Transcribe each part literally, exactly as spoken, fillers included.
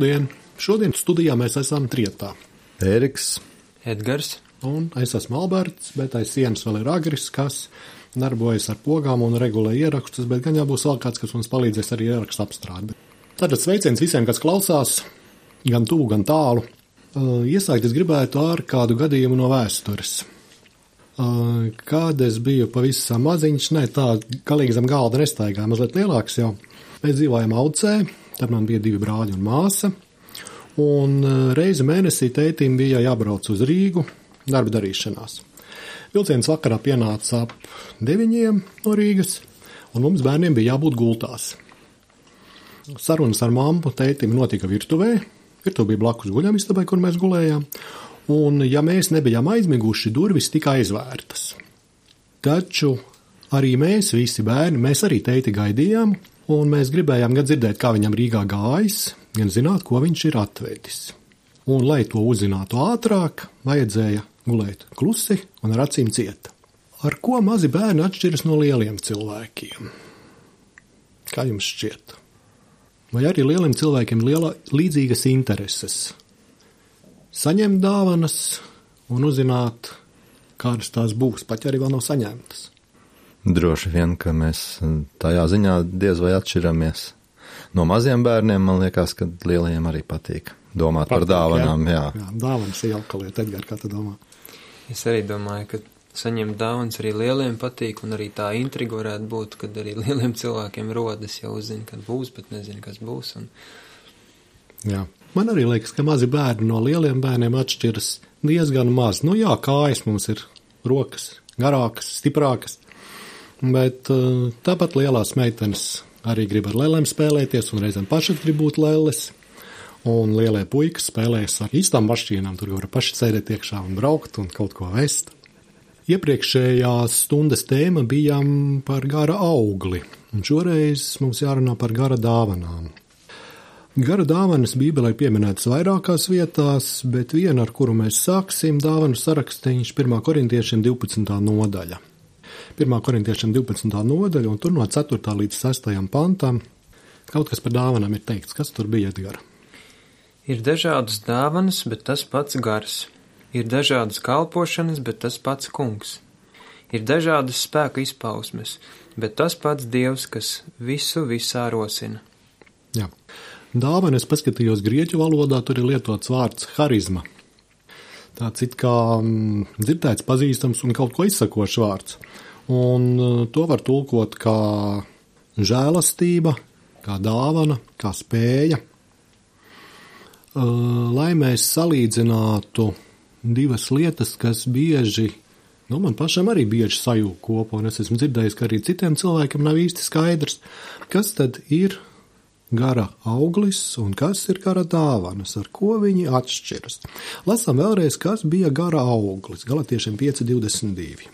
Labdien! Šodien studijā mēs esam trietā. Ēriks. Edgars. Un es esmu Alberts, bet aiz sienas vēl ir Agris, kas darbojas ar pogām un regulē ierakstus, bet gan jābūs vēl kāds, kas mums palīdzēs arī ierakstu apstrādi. Tātad sveiciens visiem, kas klausās, gan tuvu, gan tālu. Iesākt es gribētu ar kādu gadījumu no vēstures. Kad es biju pavisam maziņš, ne tā galīgi zem galda nestaigāju, mazliet lielāks jau. Mēs dzīvojam Aucē, tad man bija divi brāļi un māsa, un reizi mēnesī tētim bija jābrauc uz Rīgu darba darīšanās. Vilciens vakarā pienāca ap deviņiem no Rīgas, un mums bērniem bija jābūt gultās. Sarunas ar mammu tētim notika virtuvē, virtuve bija blakus guļamistabai, kur mēs gulējām, un ja mēs nebijām aizmiguši, durvis tika aizvērtas. Taču arī mēs, visi bērni, mēs arī tēti gaidījām, un mēs gribējām gan dzirdēt, kā viņam Rīgā gājis, gan zināt, ko viņš ir atvedis. Un, lai to uzzinātu ātrāk, vajadzēja gulēt klusi un ar acīm cieta. Ar ko mazi bērni atšķiras no lieliem cilvēkiem? Kā jums šķiet? Vai arī lieliem cilvēkiem liela līdzīgas intereses? Saņemt dāvanas un uzzināt, kādas tās būs, pat ja arī vēl nav saņemtas. Droši vien, ka mēs tajā ziņā diez vai atšķiramies. No maziem bērniem, man liekas, ka lielajiem arī patīk domāt patīk, par dāvanām. Jā, jā. jā dāvanas ir jauka lieta. Edgar, kā tu domā? Es arī domāju, ka saņemt dāvanas arī lieliem patīk, un arī tā intriga varētu būt, kad arī lieliem cilvēkiem rodas, jau uzzina, kad būs, bet nezina, kas būs. Un... Jā. Man arī liekas, ka mazi bērni no lieliem bērniem atšķiras diezgan maz. Nu jā, kājas mums ir rokas garākas, stiprākas. Bet tāpat lielās meitenes arī grib ar lēlēm spēlēties un reizēm paši grib būt lēles. Un lielie puikas spēlējas ar īstām mašīnām, tur var paši sēdēt iekšā un braukt un kaut ko vest. Iepriekšējās stundas tēma bija par gara augli, un šoreiz mums jārunā par gara dāvanām. Gara dāvanas Bībelē pieminētas vairākās vietās, bet viena, ar kuru mēs sāksim, dāvanu sarakstīņš pirmā korintiešiem divpadsmitā nodaļa. pirmā korintiešiem divpadsmitā nodaļa, un tur no ceturtā līdz sestajam pantam kaut kas par dāvanām ir teikts. Kas tur bija, Edgar? Ir dažādas dāvanas, bet tas pats gars. Ir dažādas kalpošanas, bet tas pats kungs. Ir dažādas spēka izpausmes, bet tas pats Dievs, kas visu visā rosina. Jā. Dāvana, es paskatījos grieķu valodā, tur ir lietots vārds harizma. Tāds it kā mm, dzirdēts, pazīstams un kaut ko izsakošs vārds. Un to var tulkot kā žēlastība, kā dāvana, kā spēja. Lai mēs salīdzinātu divas lietas, kas bieži, nu man pašam arī bieži sajūg kopā, un es esmu dzirdējis, ka arī citiem cilvēkiem nav īsti skaidrs, kas tad ir gara auglis un kas ir gara dāvanas, ar ko viņi atšķiras. Lasām vēlreiz, kas bija gara auglis, Galatiešiem pieci divdesmit divi.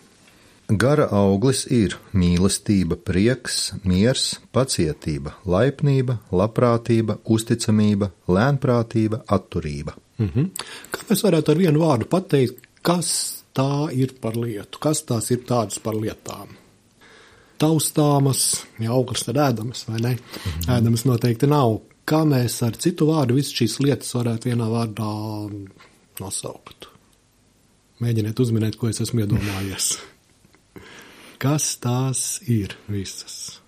Gara auglis ir mīlestība, prieks, miers, pacietība, laipnība, labprātība, uzticamība, lēnprātība, atturība. Mhm. Kā mēs varētu ar vienu vārdu pateikt, kas tā ir par lietu, kas tās ir tādas par lietām? Taustāmas, ja auglis tad ēdamas, vai ne? Mhm. Ēdamas noteikti nav. Kā mēs ar citu vārdu visas šīs lietas varētu vienā vārdā nosaukt? Mēģiniet uzminēt, ko es esmu iedomājies. Kas tās ir visas?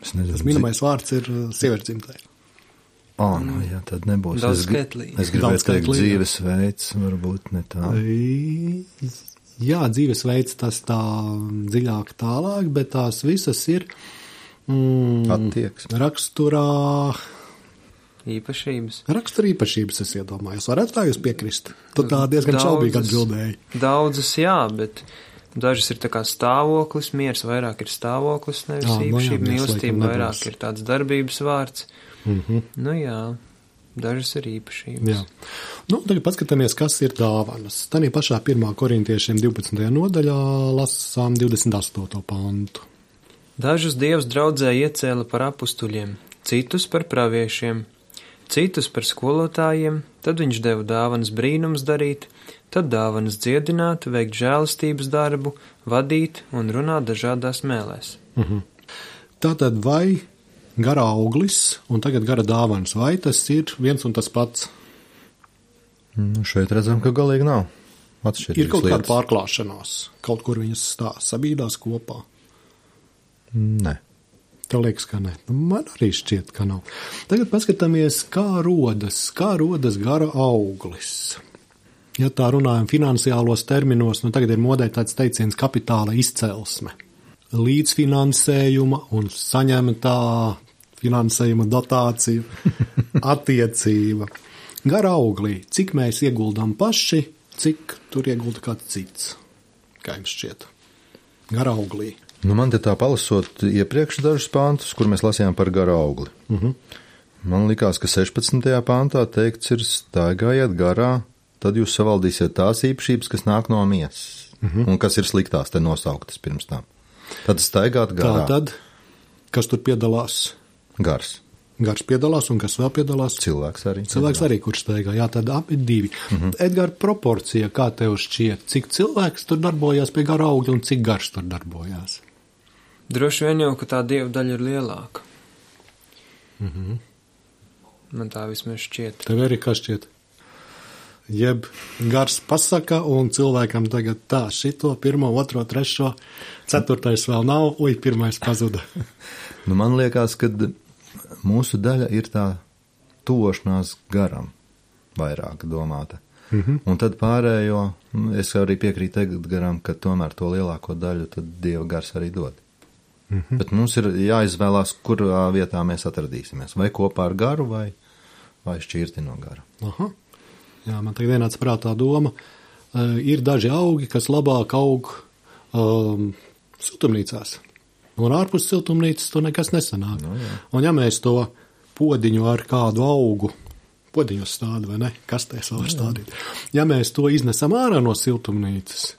Es nezinu, Tas minamais vārds ir sievietes dzimtai. Ā, nu jā, tad nebūs. Daudz es, gri- skaitlī. es gribētu Daudz teikt skaitlī, jā. dzīvesveids, varbūt ne tā. Jā, dzīvesveids tas tā dziļāk tālāk, bet tās visas ir mm, Attieksme. raksturā, Īpašības. rakstura īpašības, es iedomājos. Varētu tā jūs piekrist? Tu tā diezgan Daudzas- šaubīgi atbildēji. Daudzas, jā, bet dažas ir tā kā stāvoklis, miers vairāk ir stāvoklis, nevis Jā, nu jā, īpašība, miers mīlestība laikam vairāk nebūs. ir tāds darbības vārds. Mhm. Nu jā, dažas ir īpašības. Jā. Nu, tagad paskatāmies, kas ir dāvanas. Tanī pašā pirmā korintiešiem divpadsmitajā nodaļā lasām divdesmit astoto pantu. Dažus Dievs draudzē iecēla par apustuļiem, citus par praviešiem, citus par skolotājiem, tad viņš deva dāvanas brīnums darīt, tad dāvanas dziedināt, veikt žēlastības darbu, vadīt un runāt dažādās mēlēs. Mhm. Tātad vai gara auglis un tagad gara dāvanas. Vai tas ir viens un tas pats? Nu, šeit redzam, ka galīgi nav atšķirības. Ir kaut lietas. kāda pārklāšanās, kaut kur viņas stās, sabīdās kopā. Nē. Tev liekas, ka nē. Nu, man arī šķiet, ka nav. Tagad paskatāmies, kā rodas, kā rodas gara auglis. Ja tā runājam finansiālos terminos, nu tagad ir modē tāds teiciens kapitāla izcelsme. Līdzfinansējuma un saņemtā finansējuma dotāciju attiecība. Gara auglī, cik mēs ieguldām paši, cik tur iegulda kāds cits. Kā jums šķiet? Gara auglī. Nu, man te tā palasot iepriekš dažus pāntus, kur mēs lasījām par gara augli. Uh-huh. Man likās, ka sešpadsmitajā pāntā teikts ir staigājiet garā, tad jūs savaldīsiet tās īpašības, kas nāk no miesas. Uh-huh. Un kas ir sliktās te nosauktas pirms tam. Tad staigāt garā. Tā tad, kas tur piedalās? Gars. Gars piedalās un kas vēl piedalās? Cilvēks arī. Cilvēks arī, kurš staigā. Jā, tad abi divi. Uh-huh. Edgar, proporcija, kā tev šķiet, cik cilvēks tur darbojās pie gara augļa un cik gars tur darbojās? Droši vien jau, ka tā dieva daļa ir lielāka. Uh-huh. Man tā vismaz šķiet. Tev arī kā šķiet? Jeb gars pasaka un cilvēkam tagad tā, šito, pirmo, otro, trešo, ceturtais vēl nav, uj, pirmais pazuda. Nu, man liekas, ka mūsu daļa ir tā tuvošanās garam vairāk domāta. Mm-hmm. Un tad pārējo, es arī piekrītu Edgaram, ka tomēr to lielāko daļu tad Dieva gars arī dod. Mm-hmm. Bet mums ir jāizvēlās, kurā vietā mēs atradīsimies. Vai kopā ar garu, vai, vai šķirti no gara. Aha. Jā, man tagad ienāca prātā doma. Uh, ir daži augi, kas labāk aug um, siltumnīcās. Un ārpus siltumnīcas to nekas nesanāk. No, jā. Un ja mēs to podiņu ar kādu augu, podiņu stādu vai ne, kastēs vēl var stādīt, ja mēs to iznesam ārā no siltumnīcas,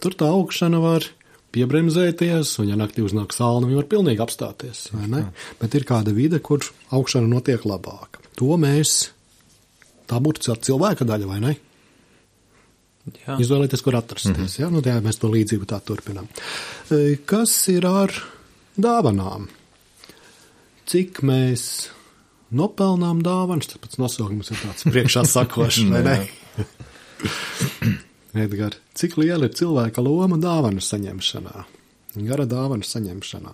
tur tā augšana var piebremzēties, un ja naktī uznāk salna, viņi var pilnīgi apstāties, vai ne? Bet ir kāda vide, kur augšana notiek labāk. To mēs, tā būtu cilvēka daļa, vai ne? Jā. Izvēlēties, kur atrasties. Mm-hmm. Ja? Nu, tā, mēs to līdzību tā turpinām. Kas ir ar dāvanām? Cik mēs nopelnām dāvanas? Tas pats nosaukums ir tāds priekšā sakošs, vai ne? Edgar, cik liela ir cilvēka loma dāvanu saņemšanā? Gara dāvanu saņemšanā.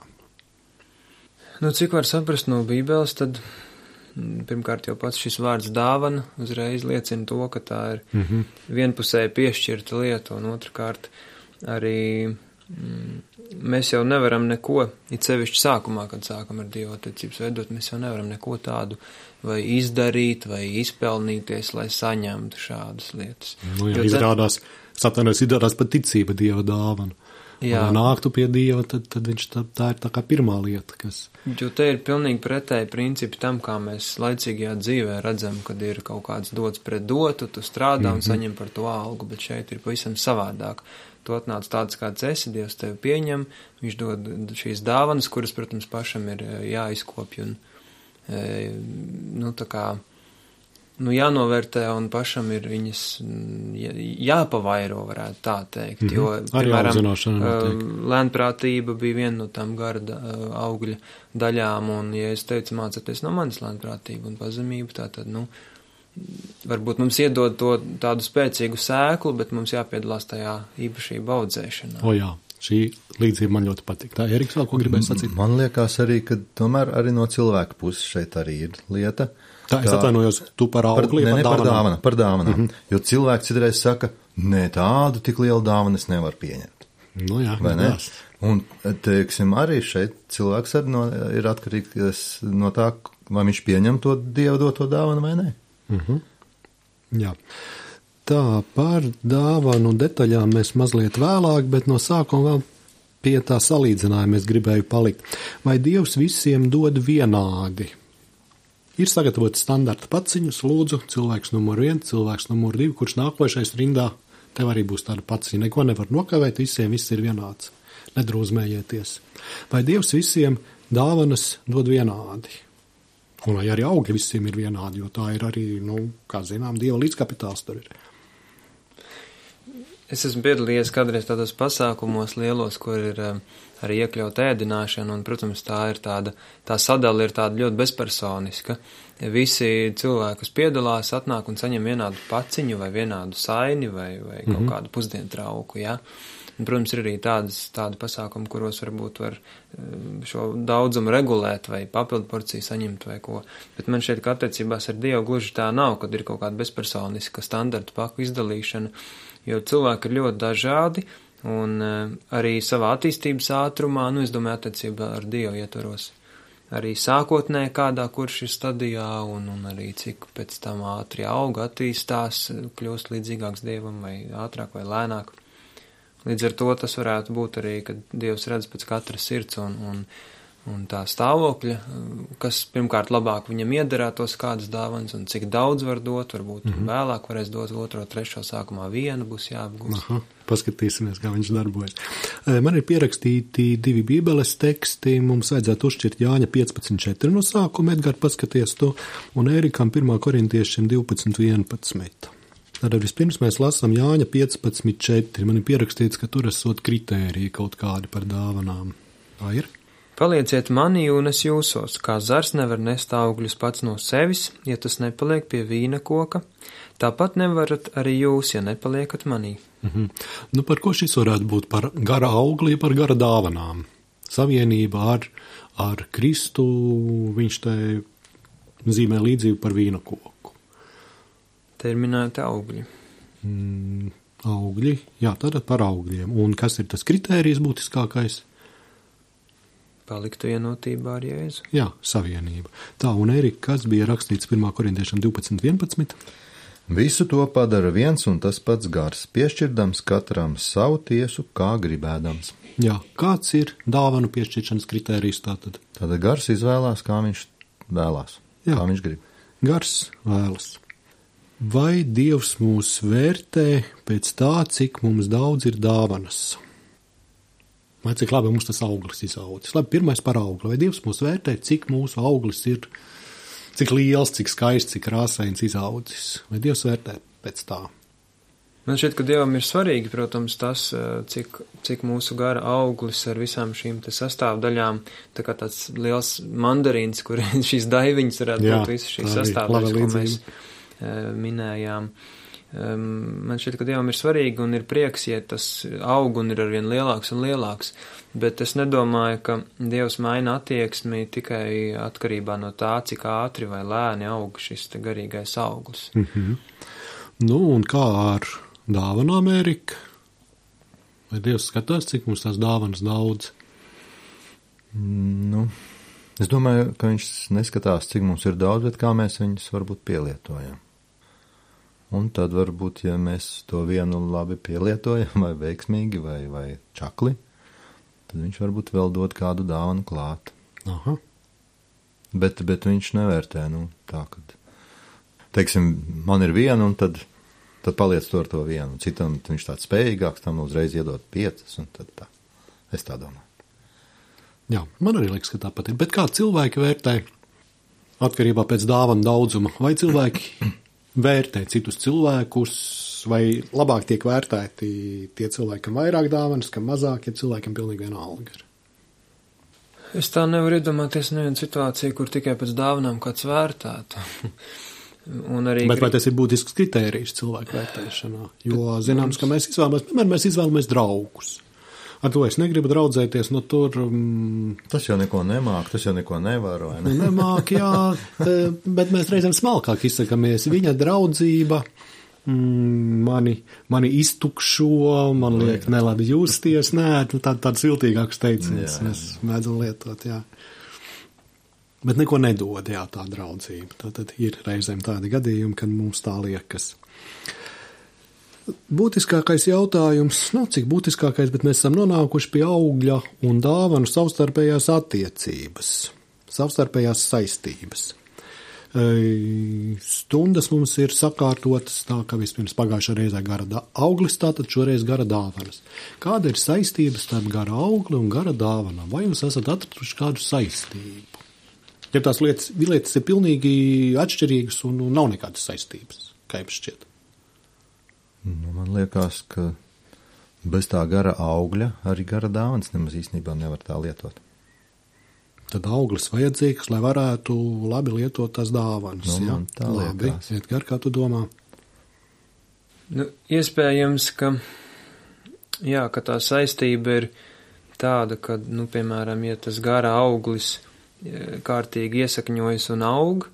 Nu, cik var saprast no Bībeles, tad pirmkārt jau pats šis vārds dāvana uzreiz liecina to, ka tā ir mm-hmm. vienpusēji piešķirta lieta, un otrkārt arī mm, mēs jau nevaram neko, it sevišķi sākumā, kad sākam ar Dievu attiecības veidot, mēs jau nevaram neko tādu vai izdarīt, vai izpelnīties, lai saņemtu šādas lietas. Nu jā, jo izrādās, Satanēs izrādās pat ticība Dieva dāvana. Ja nāktu pie Dieva, tad, tad viņš tā, tā ir tā kā pirmā lieta, kas... Jo te ir pilnīgi pretēji principi tam, kā mēs laicīgajā dzīvē redzam, kad ir kaut kāds dots pret dotu, tu strādā mm-hmm. un saņem par to algu, bet šeit ir pavisam savādāk. Tu atnāc tāds, kāds esi, Dievs tevi pieņem, viņš dod šīs dāvanas, kuras, protams, pašam ir jāizkopj un, nu, tā kā, nu, jānovērtē un pašam ir viņas jāpavairo, varētu tā teikt, mm-hmm. jo, piemēram, lēnprātība bija viena no tām gara augļa daļām, un, ja es teicu, mācieties no manis lēnprātību un pazemību, tā tad, nu, varbūt mums iedod to tādu spēcīgu sēklu, bet mums jāpiedalās tajā īpašība audzēšanā. O jā, šī līdzība man ļoti patīk. Tā, Eriks, vēl ko gribēja sacīt? Man liekas arī, ka tomēr arī no cilvēka puses šeit arī ir lieta. Tā, es atvainojos, tu par augli, par, ne, par dāvanām. Par dāvanām, par dāvanām. Mm-hmm. Jo cilvēks citreiz saka, nē, tādu tik lielu dāvanu es nevaru pieņemt. Nu jā, vai ne? Un, teiksim, arī šeit cilvēks arī no, ir atkarīgs no tā, vai viņš pieņem to Dievu doto dāvanu vai nē. Mhm. Jā. Tā, par dāvanu detaļām mēs mazliet vēlāk, bet no sākuma vēl pie tā salīdzinājuma es gribēju palikt. Vai Dievs visiem dod vienādi? Ir sagatavoti standarta paciņus, lūdzu, cilvēks numur viens, cilvēks numur divi, kurš nākošais rindā, tev arī būs tāda paciņa. Neko nevar nokavēt, visiem viss ir vienāds. Nedrūzmējieties. Vai Dievs visiem dāvanas dod vienādi? Un vai arī augļi visiem ir vienādi, jo tā ir arī, nu, kā zinām, Dieva līdzkapitāls tur ir. Es esmu piedalījies kādreiz tādos pasākumos lielos, kur ir um, arī iekļaut ēdināšana, un, protams, tā ir tāda, tā sadala ir tāda ļoti bezpersoniska. Visi cilvēki, kas piedalās, atnāk un saņem vienādu paciņu vai vienādu saini vai, vai kaut mm-hmm. kādu pusdienu trauku, jā. Un, protams, ir arī tādas, tādi pasākumi, kuros varbūt var šo daudzumu regulēt vai papildu porciju saņemt vai ko. Bet man šeit, ka attiecībās ar Dievu gluži tā nav, kad ir kaut kāda bezpersoniska standarta paku izdalīšana, jo cilvēki ir ļoti dažādi un arī savā attīstības ātrumā, nu, es domāju, attiecībā ar Dievu ietvaros. Arī sākotnē kādā, kurš ir stadijā un, un arī cik pēc tam ātri auga, attīstās, kļūst līdzīgāks Dievam vai ātrāk vai lēnāk. Līdz ar to tas varētu būt arī, kad Dievs redz pēc katra sirds un, un, un tā stāvokļa, kas pirmkārt labāk viņam iederētos kādas dāvanas un cik daudz var dot, varbūt mm-hmm. vēlāk varēs dot otro, trešo, sākumā vienu būs jāapgūst. Aha, paskatīsimies, kā viņš darbojas. Man ir pierakstīti divi bībeles teksti, mums vajadzētu uzšķirt Jāņa piecpadsmit četri no sākuma, Edgar, paskaties to, un Ērikam pirmā korintiešiem divpadsmit vienpadsmit. Tad vispirms mēs lasām Jāņa piecpadsmit četri. Man ir pierakstīts, ka tur esot kritēriji kaut kādi par dāvanām. Tā ir? Palieciet manī un es jūsos, kā zars nevar nest augļus pats no sevis, ja tas nepaliek pie vīna koka. Tāpat nevarat arī jūs, ja nepaliekat manī. Mhm. Nu, par ko šis varētu būt? Par gara augli, par gara dāvanām. Savienība ar, ar Kristu, viņš te zīmē līdzību par vīna koku. Te ir minēti augļi. Mm, augļi, jā, tad par augļiem. Un kas ir tas kritērijs būtiskākais? Palikt vienotībā ar Jēzu. Jā, savienība. Tā, un Erika, kas bija rakstīts pirmā korintiešiem divpadsmit vienpadsmit? Visu to padara viens un tas pats gars, piešķirdams katram savu tiesu, kā gribēdams. Jā, kāds ir dāvanu piešķiršanas kritērijs tātad? Tātad gars izvēlās, kā viņš vēlās, Jā. Kā viņš grib. Gars vēlas. Vai Dievs mūs vērtē pēc tā, cik mums daudz ir dāvanas? Vai cik labi mums tas auglis izaudzis? Labi, pirmais par augli. Vai Dievs mūs vērtē, cik mūsu auglis ir, cik liels, cik skaists, cik krāsains izaudzis? Vai Dievs vērtē pēc tā? Man šķiet, ka Dievam ir svarīgi, protams, tas, cik, cik mūsu gara auglis ar visām šīm te sastāvdaļām, tā kā tāds liels mandarīns, kur šīs daiviņas varētu Jā, būt visas šīs sastāvdaļas, ko mēs minējām. Man šķiet, ka Dievam ir svarīgi un ir prieks, ja tas aug un ir arvien lielāks un lielāks, bet es nedomāju, ka Dievs maina attieksmi tikai atkarībā no tā, cik ātri vai lēni aug šis te garīgais auglis. Mm-hmm. Nu, un kā ar dāvanām, Ērika? Vai Dievs skatās, cik mums tās dāvanas daudz? Nu, es domāju, ka viņš neskatās, cik mums ir daudz, bet kā mēs viņus varbūt pielietojam. Un tad varbūt, ja mēs to vienu labi pielietojam, vai veiksmīgi, vai, vai čakli, tad viņš varbūt vēl dod kādu dāvanu klāt. Aha. Bet, bet viņš nevērtē, nu, tā, kad, teiksim, man ir viena, un tad, tad paliec to ar to vienu. Citam viņš tāds spējīgāks, tam uzreiz iedot piecas, un tad tā. Es tā domāju. Jā, man arī liekas, ka tāpat ir. Bet kā cilvēki vērtē atkarībā pēc dāvanu daudzuma? Vai cilvēki vērtē citus cilvēkus, vai labāk tiek vērtēti tie cilvēki, kam vairāk dāvanas, kam mazāk, ja cilvēkiem pilnīgi vienalga ir? Es tā nevaru iedomāties nevienu situāciju, kur tikai pēc dāvanām kāds vērtētu. Un arī Bet vai tas ir būtisks kritērijs cilvēku vērtēšanā? Jo zināms, ka mēs izvēlamies, piemēram, mēs izvēlamies draugus. Ar to es negribu draudzēties, no tur... Um, tas jau neko nemāk, tas jau neko nevar, vai ne? Nemāk, jā, te, bet mēs reizēm smalkāk izsakamies. Viņa draudzība mm, mani, mani iztukšo, man liek nelabi justies, nē, nu, tā, tāds viltīgāks teiciens mēs mēdzam lietot, jā. Bet neko nedod, jā, tā draudzība. Tātad ir reizēm tādi gadījumi, kad mums tā liekas. Būtiskākais jautājums, nu, cik būtiskākais, bet mēs esam nonākuši pie augļa un dāvanu savstarpējās attiecības, savstarpējās saistības. Stundas mums ir sakārtotas tā, ka vispirms pagājušā reizē gara auglis, tātad šoreiz gara dāvanas. Kāda ir saistības starp gara augli un gara dāvanām? Vai jūs esat atraduši kādu saistību? Ja tās lietas, lietas ir pilnīgi atšķirīgas un, un nav nekādas saistības, kā jums šķiet? Nu, man liekas, ka Bez tā gara augļa arī gara dāvanas nemaz īstenībā nevar tā lietot. Tad auglis vajadzīgs, lai varētu labi lietot tās dāvanas. Nu, ja? tā Labi, liekas. Edgar, kā tu domā? Nu, iespējams, ka, jā, ka tā saistība ir tāda, ka, nu, piemēram, ja tas gara auglis kārtīgi iesakņojas un aug,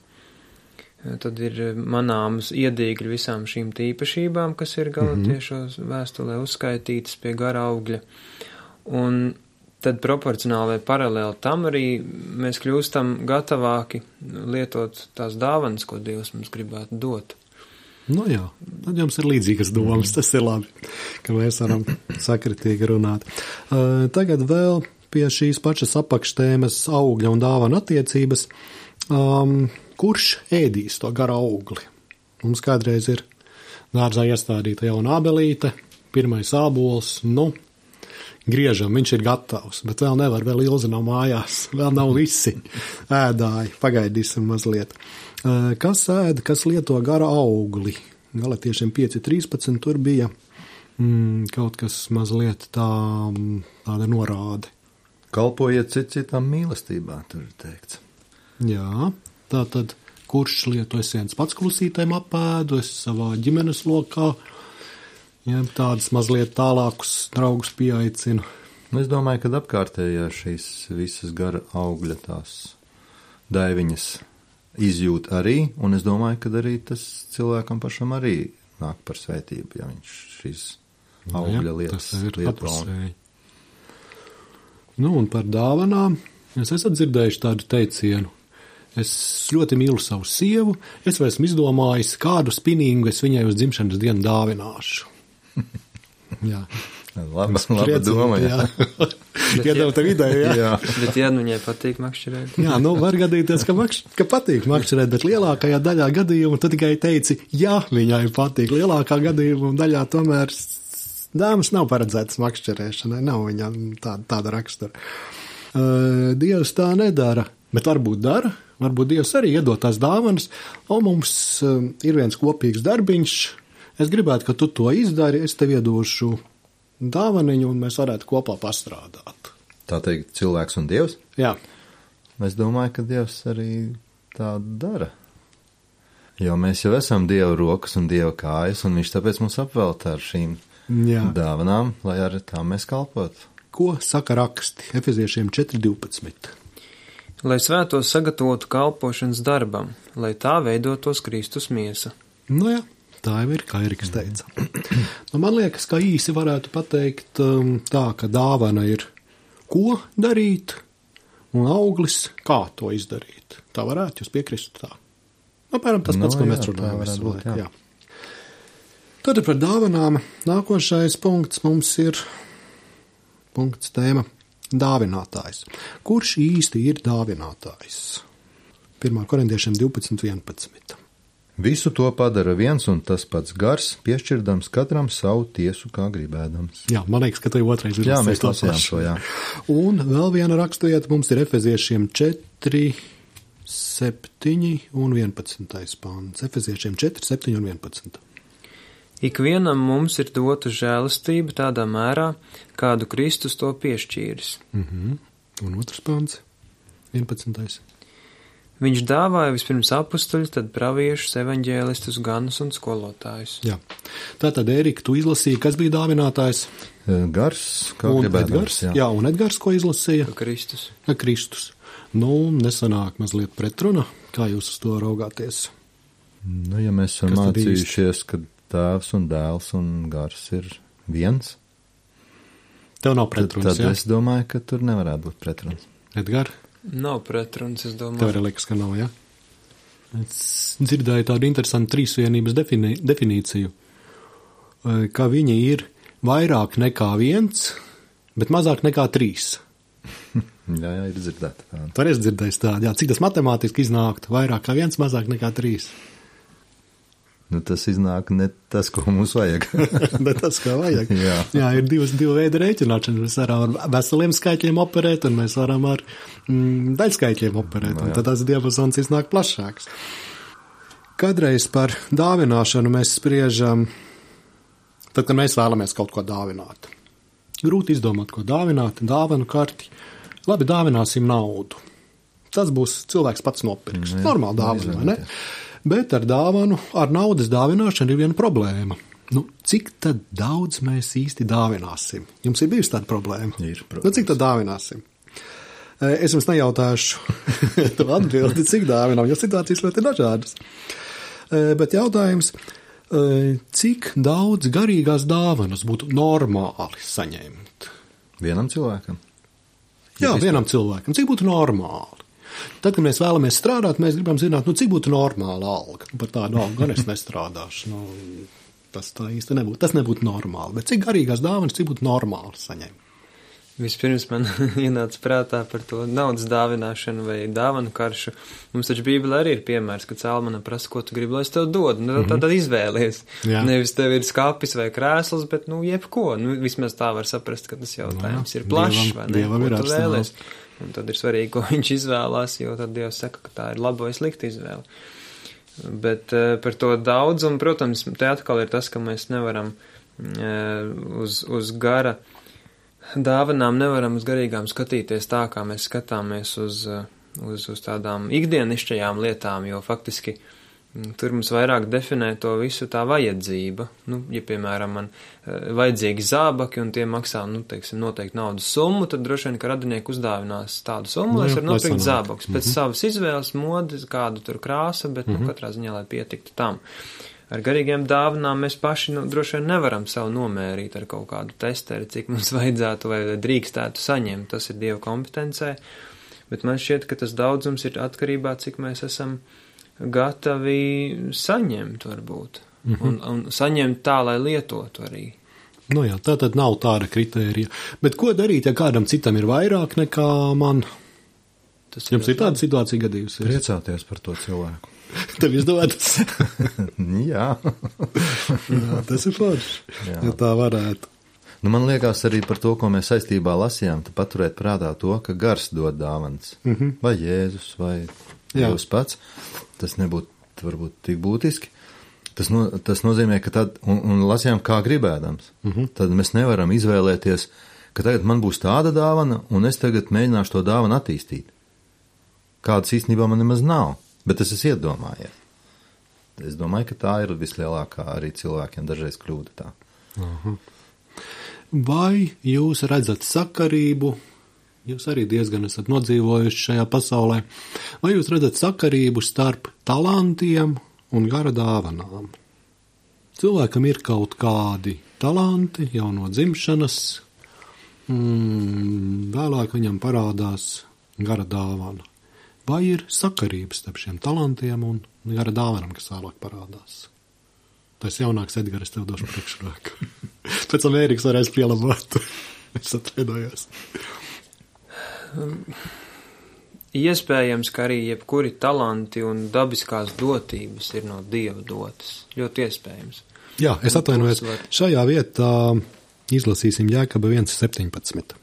tad ir manāmas iedīgļi visām šīm tīpašībām, kas ir galatiešos vēstulē uzskaitītas pie gara augļa. Un tad proporcionāli vai paralēli tam arī mēs kļūstam gatavāki lietot tās dāvanas, ko Dievs mums gribētu dot. Nu jā, tad jums ir līdzīgas domas, tas ir labi, ka mēs varam sakritīgi runāt. Uh, tagad vēl pie šīs pašas apakštēmas augļa un dāvana attiecības. Um, kurš ēdīs to gara augli? Mums kādreiz ir dārzā iestādīta jauna ābelīte, pirmais ābols, nu, griežam, viņš ir gatavs, bet vēl nevar, vēl Ilze nav mājās, vēl nav visi ēdāji, pagaidīsim mazliet. Kas ēda, kas lieto gara augli? Galatiešiem pieci trīspadsmit tur bija mm, kaut kas mazliet tā, tāda norāde. Kalpojiet cit citam mīlestībā, tur ir teikts. Jā, tā tad, kurš lieto es viens pats klusītēm apēdu, es savā ģimenes lokā, ja, tādas mazliet tālākus draugus pieaicinu. Es domāju, ka apkārtējā šīs visas gara augļa tās daiviņas izjūt arī, un es domāju, ka arī tas cilvēkam pašam arī nāk par svētību, ja viņš šīs augļa lietas lieto. Nu, un par dāvanām, es esat dzirdējuši tādu teicienu. Es ļoti mīlu savu sievu, es vai esmu izdomājis, kādu spinīgu es viņai uz dzimšanas dienu dāvināšu. Jā. Laba, laba doma, jā. Iedod tev ideju, jā. jā. Bet ja nu viņai patīk makšķerēt. Jā, nu var gadīties, ka, makš, ka patīk makšķerēt, bet lielākajā daļā gadījumu tu tikai teici, jā, viņai patīk. Lielākā gadījuma daļā tomēr dāmas nav paredzētas makšķerēšanai, nav viņam tāda, tāda rakstura. Uh, Dievs tā nedara, bet varbūt dara, varbūt Dievs arī iedod tās dāvanas, un mums uh, ir viens kopīgs darbiņš, es gribētu, ka tu to izdari, es tev iedošu dāvaniņu, un mēs varētu kopā pastrādāt. Tā teikt, cilvēks un Dievs? Jā. Es domāju, ka Dievs arī tā dara. Jo mēs jau esam Dieva rokas un Dieva kājas, un viņš tāpēc mums apvelta ar šīm Jā. dāvanām, lai ar tām mēs kalpotu. Ko saka raksti? Efeziešiem četri divpadsmit. Lai svētos sagatavotu kalpošanas darbam, lai tā veidotos Kristus miesa. Nu jā, tā jau ir, kā Eriks teica. Nu, man liekas, ka īsi varētu pateikt um, tā, ka dāvana ir ko darīt, un auglis kā to izdarīt. Tā varētu jūs piekrist tā. Nu, pēram tas pats, no, ko jā, mēs runājam visu laiku. Jā. Tad par dāvanām nākošais punkts mums ir punkts tēma dāvinātājs. Kurš īsti ir dāvinātājs? pirmā korintiešiem divpadsmit vienpadsmit. Visu to padara viens un tas pats gars, piešķirdams katram savu tiesu, kā gribēdams. Jā, man liekas, ka tev otrais ir. Jā, mēs lasījām šo, jā. Un vēl viena raksturieta mums ir Efeziešiem četri, septiņi un vienpadsmitais pāns. Efeziešiem četri, septiņi un vienpadsmit. Ikvienam mums ir dota žēlastība tādā mērā, kādu Kristus to piešķīris. Mhm. Un otrs pāns, vienpadsmitais. Viņš dāvāja vispirms apustuļus, tad praviešus, evaņģēlistus, ganus un skolotājus. Jā. Tātad, Ērika, tu izlasīji, kas bija dāvinātājs? Gars, kā un gribēdams. Edgars, jā. jā, un Edgars, ko izlasīja? Kristus. Kristus. Nu, nesanāk mazliet pretruna, kā jūs uz to raugāties? Nu, ja mēs esam mācījušies, kad tēvs un dēls un gars ir viens. Tev nav pretruns, tad, tad jā? Es domāju, ka tur nevarētu būt pretruns. Edgar? Nav pretruns, es domāju. Tev arī liekas, ka nav, jā? Es dzirdēju tādu interesantu trīsvienības defini definīciju, ka viņi ir vairāk nekā viens, bet mazāk nekā trīs. jā, jā, ir dzirdēta tāda. Tur es dzirdēju tādu, jā. Cik tas matemātiski iznāktu? Vairāk kā viens, mazāk nekā trīs. Nu, tas iznāk ne tas, ko mums vajag. ne tas, ko vajag. Jā. Jā, ir divas, divi veidi rēķināšanas. Mēs varam ar veseliem skaitļiem operēt, un mēs varam ar mm, daļskaitļiem operēt. No, un tad tas diapazons iznāk plašāks. Kadreiz par dāvināšanu mēs spriežam, tad, kad mēs vēlamies kaut ko dāvināt. grūti izdomāt, ko dāvināt, dāvanu karti. Labi, dāvināsim naudu. Tas būs cilvēks pats nopirks. Jā, Normāli dāvana, vai ne? Bet ar dāvanu, ar naudas dāvināšanu ir viena problēma. Nu, cik tad daudz mēs īsti dāvināsim? Jums ir bijusi tāda problēma? Ir, protams. Nu, cik tad dāvināsim? Es jums nejautāšu to atbildi, cik dāvinām, jo situācijas ļoti dažādas. Bet jautājums, cik daudz garīgās dāvanas būtu normāli saņemt? Vienam cilvēkam? Jā, vienam cilvēkam. Cik būtu normāli? Tad, kad mēs vēlamies strādāt, mēs gribam zināt, nu, cik būtu normāla alga. Par tādu algu gan es nestrādāšu. Nu, tas tā īsti nebūtu. Tas nebūtu normāli. Bet cik garīgās dāvanas, cik būtu normāli saņemt? Vispirms man ienāca prātā par to naudas dāvināšanu vai dāvanu karšu. Mums taču Bībelē arī ir piemērs, ka cēlmana prasa, ko tu gribi, lai es tev dodu. Nu, tad, tad izvēlies. Jā. Nevis tev ir skapis vai krēsls, bet, nu, jebko. Nu, vismaz tā var saprast, ka tas jautājums jā, ir plašs, vai ne? Dievam ir vēlies. Un tad ir svarīgi, ko viņš izvēlās, jo tad Dievs saka, ka tā ir laba vai slikta izvēle. Bet uh, par to daudzumu, protams, te atkal ir tas, ka mēs nevaram uh, uz, uz gara dāvanām, nevaram uz garīgām skatīties tā, kā mēs skatāmies uz, uh, uz, uz tādām ikdienišķajām lietām, jo faktiski tur mums vairāk definē to visu tā vajadzība. Nu, ja, piemēram, man uh, vajadzīgi zābaki un tie maksā, nu, teiksim, noteikti naudas summu, tad droši vien, ka radinieki uzdāvinās tādu summu, lai es varu nopirkt zābakus. Pēc mm-hmm. savas izvēles, modes, kādu tur krāsa, bet, mm-hmm. nu, katrā ziņā, lai pietiktu tam. Ar garīgiem dāvanām mēs paši, nu, droši vien nevaram savu nomērīt ar kaut kādu testeri, cik mums vajadzētu vai drīkstētu saņemt. Tas ir Dieva kompetencē. Bet man šķiet, ka tas daudzums ir atkarībā, cik mēs esam gatavi saņemt, varbūt, mm-hmm. un, un saņemt tā, lai lietotu arī. Nu jā, tā tad nav tāda kritērija. Bet ko darīt, ja kādam citam ir vairāk nekā man? Tas Jums ir tāda situācija gadījusies? Priecāties par to cilvēku. Tev izdodas? Jā. Jā, tas ir forši, ja tā varētu. Nu, man liekas arī par to, ko mēs saistībā lasījām, tu paturēt prātā to, ka gars dod dāvanas. Mm-hmm. Vai Jēzus, vai Dievs pats. Tas nebūtu varbūt tik būtiski. Tas, no, tas nozīmē, ka tad, un, un lasījām kā gribēdams, mm-hmm. tad mēs nevaram izvēlēties, ka tagad man būs tāda dāvana, un es tagad mēģināšu to dāvanu attīstīt. Kādas īstenībā man nemaz nav, bet es esmu iedomājies. Es domāju, ka tā ir vislielākā arī cilvēkiem dažreiz kļūda tā. Aha. Vai jūs redzat sakarību? Jūs arī diezgan esat nodzīvojuši šajā pasaulē. Vai jūs redzat sakarību starp talantiem un gara dāvanām? Cilvēkam ir kaut kādi talanti jau no dzimšanas, mm, vēlāk viņam parādās gara dāvana. Vai ir sakarības starp šiem talantiem un gara dāvanām, kas vēlāk parādās? Tas jaunāks Edgars, tev došu priekšroku. Pēc tam Ēriks varēs pielabot. Es atvainojos. Iespējams, ka arī jebkuri talanti un dabiskās dotības ir no Dieva dotas. Ļoti iespējams. Jā, es atvainojos. Var... Šajā vietā izlasīsim Jēkaba viens septiņpadsmit.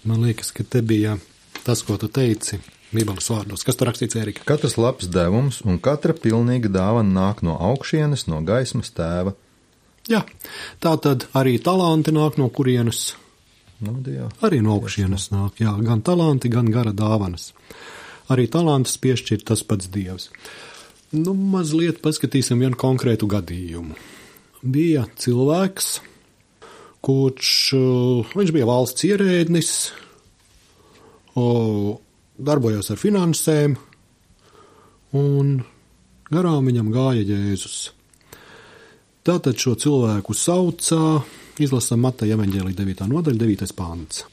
Man liekas, ka te bija tas, ko tu teici Bībeles vārdos. Kas tur rakstīts, Ērika? Katrs labs devums un katra pilnīga dāvana nāk no augšienes, no gaismas tēva. Jā, tā tad arī talanti nāk no kurienes? No Dieva. Arī no augšienes nāk, jā, gan talanti, gan gara dāvanas. Arī talantus piešķir tas pats Dievs. Nu, mazliet paskatīsim vienu konkrētu gadījumu. Bija cilvēks, kurš, viņš bija valsts ierēdnis, darbojās ar finansēm, un garām viņam gāja Jēzus. Tātad šo cilvēku saucā, izlasam Mateja evaņģēlija devītā nodaļa, devītais pants.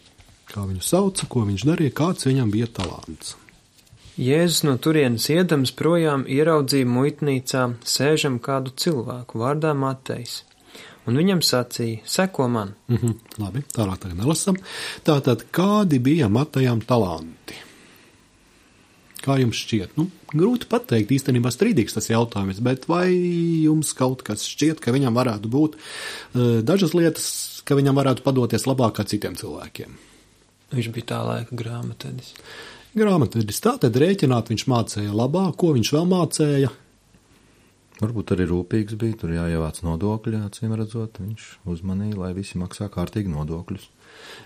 Kā viņu sauca, ko viņš darīja, kāds viņam bija talants. Jēzus no turienes iedams projām ieraudzīja muitnīcā sēžam kādu cilvēku vārdā Matejs, un viņam sacīja, seko man. Mhm, labi, tālāk tagad nelasam. Tātad, kādi bija Matejam talanti? Kā jums šķiet? Nu, grūti pateikt, īstenībā strīdīgs tas jautājums, bet vai jums kaut kas šķiet, ka viņam varētu būt uh, dažas lietas, ka viņam varētu padoties labāk kā citiem cilvēkiem? Viņš bija tā laika grāmatvedis. Grāmatvedis, tātad rēķināt viņš mācēja labāk, ko viņš vēl mācēja? Varbūt arī rūpīgs bija, tur jāievāc nodokļi, acīm redzot, viņš uzmanīja, lai visi maksā kārtīgi nodokļus.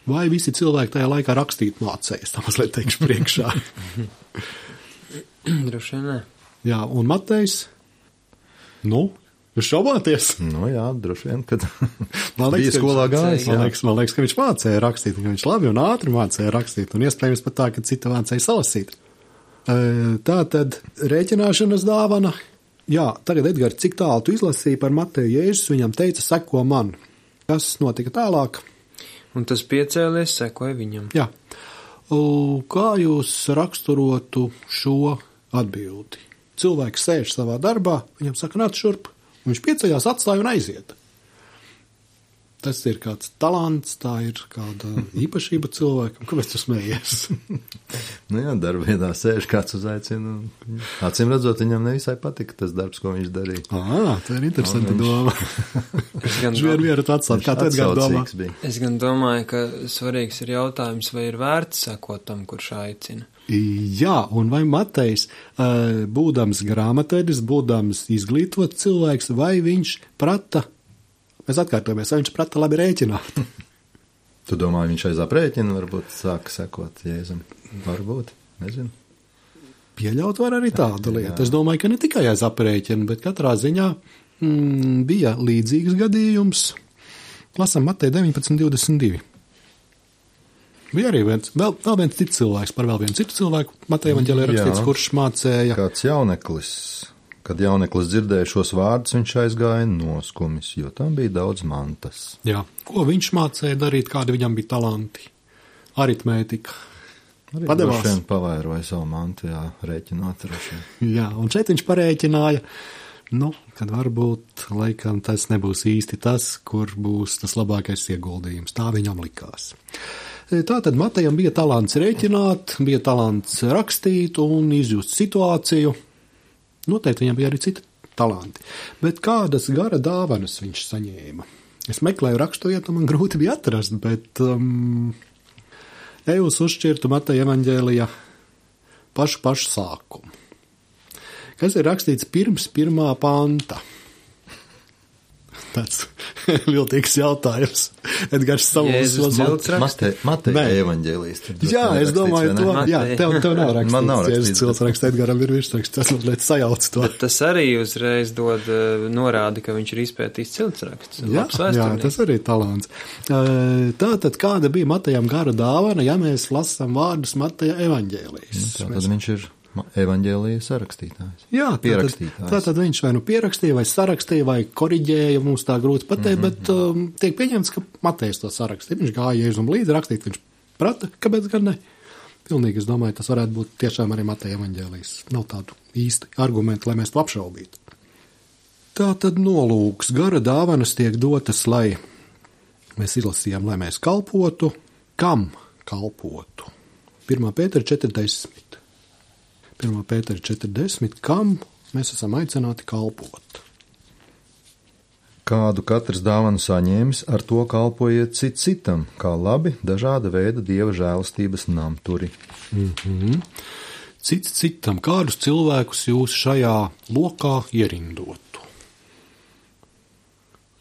Vai visi cilvēki tajā laikā rakstīt mācējas, tā mazliet teikšu priekšā. Droši vien, nē. Jā, un Matejs? Nu, jūs šaubāties? Nu jā, droši vien, kad Man liekas, bija skolā gājis. Man liekas, man liekas, ka viņš mācēja rakstīt, ka viņš labi un ātri mācēja rakstīt, un iespējams pat tā, ka cita mācēja salasīt. Tā tad rēķināšanas dāvana. Jā, tagad, Edgars, cik tālu tu izlasīji par Mateju Jēzus, viņam teica, seko man. Kas notika tālāk? Un tas piecēlies, sekoja viņam. Jā. Kā jūs raksturotu šo atbildi? Cilvēks sēž savā darbā, viņam saka, nāc šurp, viņš pieceļās, atstāja un aiziet. Tas ir kāds talants, tā ir kāda īpašība cilvēkam. Kāpēc tu smējies? Nu jā, darbvietā sēž, kāds uzaicina. Acīm redzot, viņam nevisai patika tas darbs, ko viņš darīja. Ā, tā ir interesanta viņš... doma. Es gan, Viņš vien vieru atstāt, kā tu Edgars domā? Bija. Es gan domāju, ka svarīgs ir jautājums, vai ir vērts sekot tam, kurš aicina. Jā, un vai Matejs, būdams grāmatvedis, būdams izglītots cilvēks, vai viņš prata, mēs atkārtojamies, vai viņš prata labi rēķināt? Tu domā, viņš aiz aprēķina, varbūt sāka sekot Jēzum? Varbūt, nezinu. Pieļaut var arī tādu lietu. Es domāju, ka ne tikai aiz aprēķina, bet katrā ziņā mm, bija līdzīgs gadījums. Lasam Mateja deviņpadsmit divdesmit divi. Bija arī viens, vēl, vēl viens cits cilvēks, par vēl vienu citu cilvēku. Mateja evaņģēlijā rakstīts, kurš mācēja. Kāds jauneklis. Kad jauneklis dzirdēja šos vārdus, viņš aizgāja noskumis, jo tam bija daudz mantas. Jā, ko viņš mācēja darīt, kādi viņam bija talanti? Aritmētika. Arī Padevās. droši vien pavairoja savu mantu, jā, rēķinot droši vien. Jā, un šeit viņš parēķināja, nu, kad varbūt, laikam, tas nebūs īsti tas, kur būs tas labākais ieguldījums. Tā viņam likās. Tātad Matejam bija talants rēķināt, bija talants rakstīt un izjust situāciju. Noteikti viņam bija arī citi talanti. Bet kādas gara dāvanas viņš saņēma? Es meklēju raksturvietu, man grūti bija atrast, bet um, eju uz uzšķirtu Mateja evaņģēlijā pašu pašu sākumu. Kas ir rakstīts pirms pirmā panta? Tāds viltīgs jautājums. Edgars savos uzmanības. Mateja Mateja evaņģēlijs. Jā, es domāju, to, jā, tev, tev nav rakstīts. Man nav rakstīts. Jēzus ciltsraksts, Edgaram ir virsraksts, tas mazliet sajauc to. Bet tas arī uzreiz dod norādi, ka viņš ir izpētījis ciltsraksts. Jā, jā, tas arī ir talants. Tātad, kāda bija Matejam gara dāvana, ja mēs lasām vārdus Mateja evaņģēlijs? Tātad mēs... viņš ir evaņģēlija sarakstītājs. Jā, pierakstītājs. Tātad, tātad viņš vai nu pierakstīja, vai sarakstīja, vai koriģēja, mums tā grūti pateikt, mm-hmm. bet um, tiek pieņemts, ka Matejs to sarakstīja. Viņš gāja Jēzum līdzi rakstīt, viņš prata, kāpēc gan ne? Pilnīgi, es domāju, tas varētu būt tiešām arī Mateja evaņģēlijs. Nav tādu īsti argumentu, lai mēs to apšaubītu. Tātad nolūks, gara dāvanas tiek dotas, lai mēs izlasījām, lai mēs kalpotu. Kam kalpotu? pirmā Pētera četrdesmit. pirmā Pētera četrdesmit, kam mēs esam aicināti kalpot. Kādu katrs dāvanu saņēmis, ar to kalpojiet cit citam, kā labi dažāda veida dieva žēlastības namturi. Mm-hmm. Cits citam, kādus cilvēkus jūs šajā lokā ierindotu?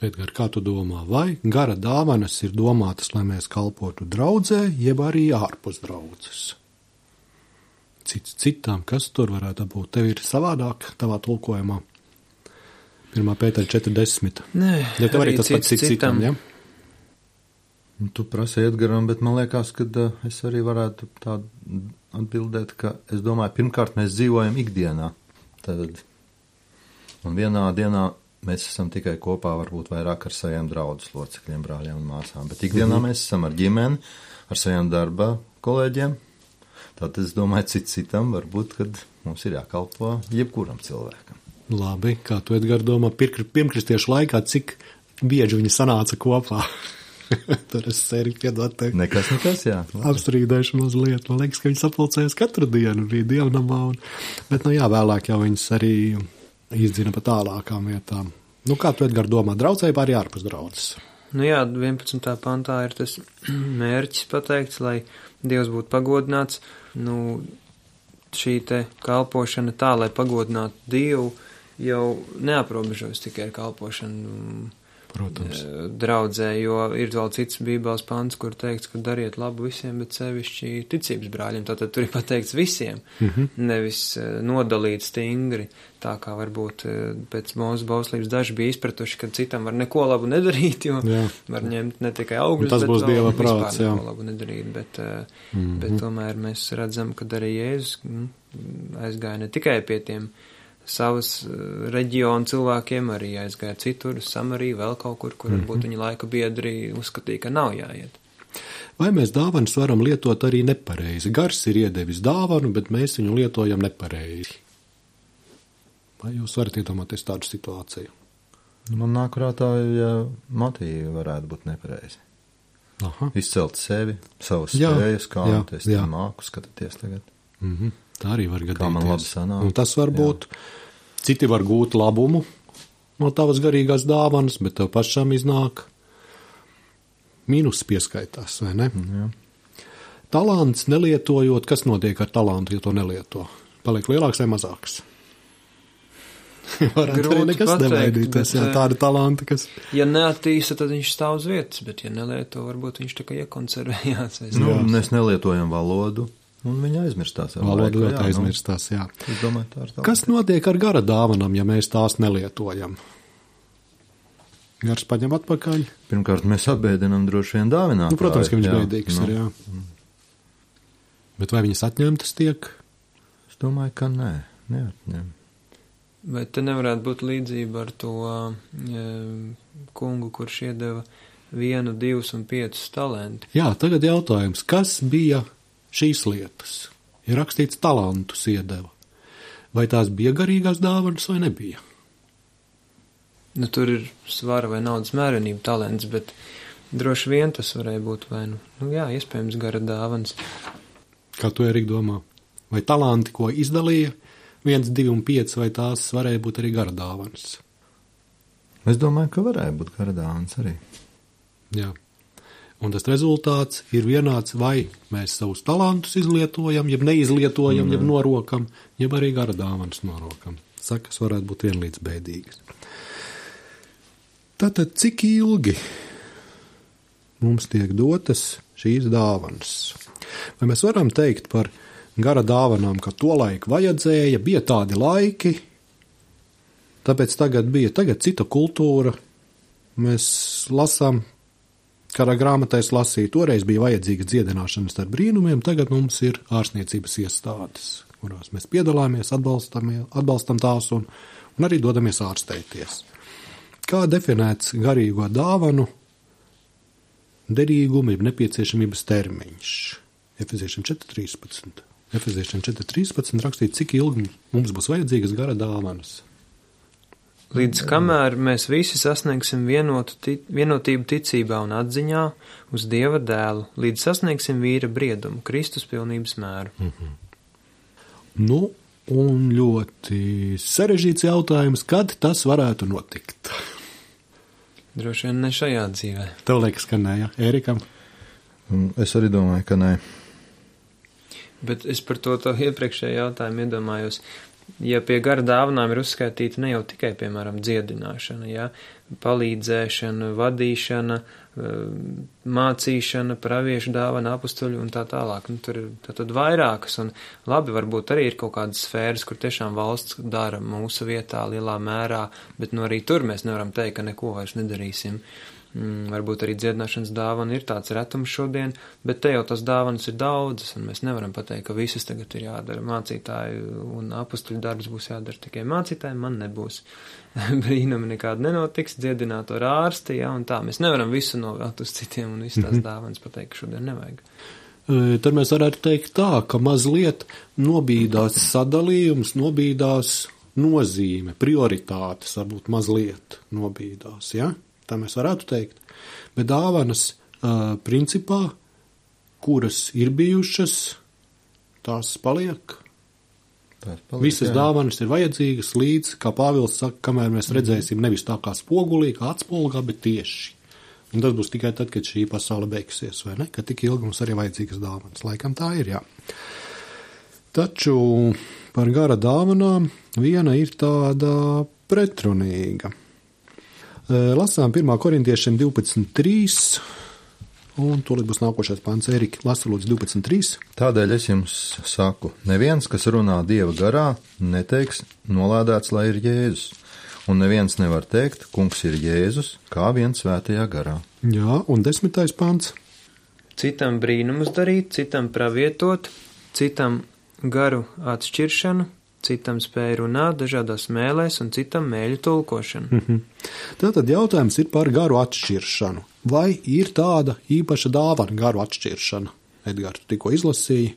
Edgar, kā tu domā, vai gara dāvanas ir domātas, lai mēs kalpotu draudzē, jeb arī ārpus draudzes? Cits citam, kas tur varētu būt? Tev ir savādāk tavā tulkojumā? pirmā Pētera četrdesmit. Nē, ja tev arī tas cits pats cits citam, ja? Tu prasi Edgaram, bet man liekas, ka es arī varētu tā atbildēt, ka es domāju, pirmkārt mēs dzīvojam ikdienā. Tad, un vienā dienā mēs esam tikai kopā varbūt vairāk ar saviem draudzes locekļiem, brāļiem un māsām, bet ikdienā mm-hmm. mēs esam ar ģimeni, ar saviem darba kolēģiem. Tātad es domāju, cits citam varbūt, kad mums ir jākalpo jebkuram cilvēkam. Labi, kā tu, Edgar, domā, pirmkristiešu laikā, cik bieži viņi sanāca kopā? Tur es sēri piedot tev. Nekas, nekas, jā. Apstrīdēšu mazliet. Man liekas, ka viņi sapulcējas katru dienu, bija dievnamā. Un... Bet, nu jā, vēlāk jau viņas arī izdzina pa tālākām vietām. Nu, kā tu, Edgar, domā, draudzēja arī ārpus draudzes? Nu jā, vienpadsmitā pantā ir tas mērķis pateikts, lai Dievs būtu pagodināts. Nu, šī te kalpošana tā, lai pagodinātu Dievu, jau neaprobežojas tikai ar kalpošanu. Protams. Draudzē, jo ir vēl cits bībeles pants, kur teikts, ka dariet labu visiem, bet sevišķi ticības brāļiem. Tātad tur ir pateikts visiem, mm-hmm. nevis nodalīt stingri, tā kā varbūt pēc mūsu bauslības daži bija izpratuši, ka citam var neko labu nedarīt, jo jā. Var ņemt ne tikai augļus, tas būs bet Dieva vēl prāts, vispār jā. neko labu nedarīt. Bet, mm-hmm. bet tomēr mēs redzam, ka arī Jēzus aizgāja ne tikai pie tiem savas reģionu cilvēkiem, arī aizgāja citur, Samariju, vēl kaut kur, kur varbūt mm-hmm. viņi laika biedri uzskatīja, ka nav jāiet. Vai mēs dāvanas varam lietot arī nepareizi? Gars ir iedevis dāvanu, bet mēs viņu lietojam nepareizi. Vai jūs varat iedomāties tādu situāciju? Man nāk prātā, ja motīvi varētu būt nepareizi. Aha. Izcelt sevi, savas jā, spējas, kā jā, es jā. Māku skatīties tagad. Mhm. Tā arī var gadīties. Kā man labi sanāk. Un tas var būt, jā. Citi var gūt labumu no tavas garīgās dāvanas, bet tev pašam iznāk mīnus pieskaitās, vai ne? Jā. Talants nelietojot, kas notiek ar talantu, ja to nelieto? Paliek lielāks vai mazāks? Varētu arī nekas nevaidīties, jā, tādi talanti, kas... Ja neattīsta, tad viņš stāv uz vietas, bet ja nelieto, varbūt viņš tikai iekonservējās. Nu, mēs nelietojam valodu. Un viņa aizmirstās. Valoda ļoti aizmirstās, jā. Es domāju, tā ir tā. Kas notiek ar gara dāvanām, ja mēs tās nelietojam? Gars paņem atpakaļ? Pirmkārt, mēs apbēdinam droši vien dāvinātāju. Nu, protams, ka viņš jā, bēdīgs nu. Ir, jā. Mm. Bet vai viņas atņemtas tiek? Es domāju, ka nē, neatņem. Vai te nevarētu būt līdzība ar to e, kungu, kurš iedeva vienu, divus un piecus talantus? Jā, tagad jautājums, kas bija šīs lietas? Ir rakstīts talantus iedeva. Vai tās bija garīgās dāvanas vai nebija? Nu, tur ir svara vai naudas mērenība talants, bet droši vien tas varēja būt vai nu, nu jā, iespējams gara dāvanas. Kā tu, Erika, domā? Vai talanti, ko izdalīja, viens, divi un pieci, vai tās varēja būt arī gara dāvanas? Es domāju, ka varēja būt gara dāvanas arī. Jā. Un tas rezultāts ir vienāds, vai mēs savus talantus izlietojam, jeb neizlietojam, mm. jeb norokam, jeb arī gara dāvanas norokam. Sakas varētu būt vienlīdz bēdīgas. Tātad, cik ilgi mums tiek dotas šīs dāvanas? Vai mēs varam teikt par gara dāvanām, ka to laiku vajadzēja, bija tādi laiki, tāpēc tagad bija tagad cita kultūra, mēs lasām, kādā grāmatā es lasīju, toreiz bija vajadzīga dziedināšana starp brīnumiem, tagad mums ir ārstniecības iestādes, kurās mēs piedalāmies, atbalstam, atbalstam tās un, un arī dodamies ārstēties. Kā definēts garīgo dāvanu derīguma ir nepieciešamības termiņš? Efeziešiem četri trīspadsmit. Efeziešiem četri trīspadsmit rakstīt, cik ilgi mums būs vajadzīgas gara dāvanas. Līdz kamēr mēs visi sasniegsim vienotu, tic, vienotību ticībā un atziņā uz Dieva dēlu, līdz sasniegsim vīra briedumu, Kristus pilnības mēru. Mm-hmm. Nu, un ļoti sarežģīts jautājums, kad tas varētu notikt? Droši vien ne šajā dzīvē. Tev liekas, ka nē, ja? Ērikam? Es arī domāju, ka nē. Bet es par to, to iepriekšējo jautājumu iedomājos. Ja pie gara dāvanām ir uzskaitīta ne jau tikai, piemēram, dziedināšana, ja, palīdzēšana, vadīšana, mācīšana, praviešu dāvana, apustuļu un tā tālāk. Nu, tur ir tad vairākas, un labi, varbūt arī ir kaut kādas sfēras, kur tiešām valsts dara mūsu vietā lielā mērā, bet nu arī tur mēs nevaram teikt, ka neko vairs nedarīsim. Mm, varbūt arī dziedināšanas dāvana ir tāds retums šodien, bet te jau tas dāvanas ir daudzas, un mēs nevaram pateikt, ka visas tagad ir jādara. Mācītāju un apustuļu darbs būs jādara tikai mācītājiem, man nebūs. Brīnumi nekādi nenotiks, dziedināt ar ārsti, ja, un tā. Mēs nevaram visu novēlt uz citiem, un visas tās mm-hmm. dāvanas pateikt, ka šodien nevajag. Tad mēs varētu teikt tā, ka mazliet nobīdās sadalījums, nobīdās nozīme, prioritātes varbūt mazliet nobīdās, ja? Tā mēs varētu teikt. Bet dāvanas uh, principā, kuras ir bijušas, tās paliek. Tās paliek Visas jā. Dāvanas ir vajadzīgas līdz, kā Pāvils saka, kamēr mēs redzēsim nevis tā kā spogulī, kā atspolgā, bet tieši. Un tas būs tikai tad, kad šī pasaule beigsies, vai ne? Ka tik ilgi mums arī vajadzīgas dāvanas. Laikam tā ir, jā. Taču par gara dāvanām viena ir tāda pretrunīga. Lasām pirmā korintiešiem divpadsmit trīs, un tūlīt būs nākošais pants. Erika, lasa lūdzu divpadsmit trīs. Tādēļ es jums saku, neviens, kas runā Dieva garā, neteiks nolādēts, lai ir Jēzus. Un neviens nevar teikt, kungs ir Jēzus, kā vien svētajā garā. Jā, un desmitais pants. Citam brīnumus darīt, citam pravietot, citam garu atšķiršanu, citam spēju runāt dažādās mēlēs un citam mēļu tulkošanu. Mm-hmm. Tātad jautājums ir par garu atšķiršanu. Vai ir tāda īpaša dāvana garu atšķiršana? Edgars, tu tikko izlasīji.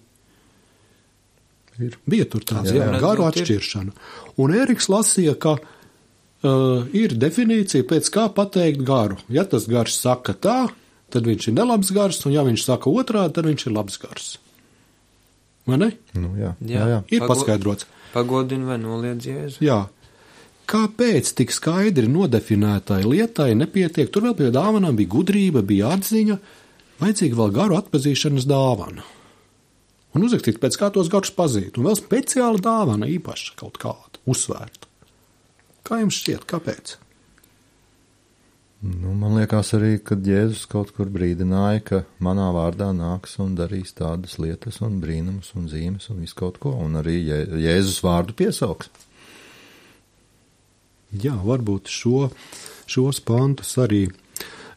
Ir. Bija tur tāds, jā, jā, garu atšķiršana. Un Eriks lasīja, ka uh, ir definīcija, pēc kā pateikt garu. Ja tas gars saka tā, tad viņš ir nelabs gars, un ja viņš saka otrādi, tad viņš ir labs gars. Vai ne? Nu, jā. Jā. Jā, jā. Ir Pago- paskaidrots. Pagodina vai noliedz Jēzu. Jā. Kāpēc tik skaidri nodefinētai lietai nepietiek? Tur vēl pie dāvanām bija gudrība, bija atziņa, vajadzīga vēl garu atpazīšanas dāvana. Un uzrakstīt, pēc kā tos garus pazīt. Un vēl speciāla dāvana īpaša kaut kāda, uzsvērta. Kā jums šķiet, kāpēc? Nu, man liekas arī, kad Jēzus kaut kur brīdināja, ka manā vārdā nāks un darīs tādas lietas un brīnumus un zīmes un visu kaut ko, un arī Jē, Jēzus vārdu piesauks. Jā, varbūt šo, šos pantus arī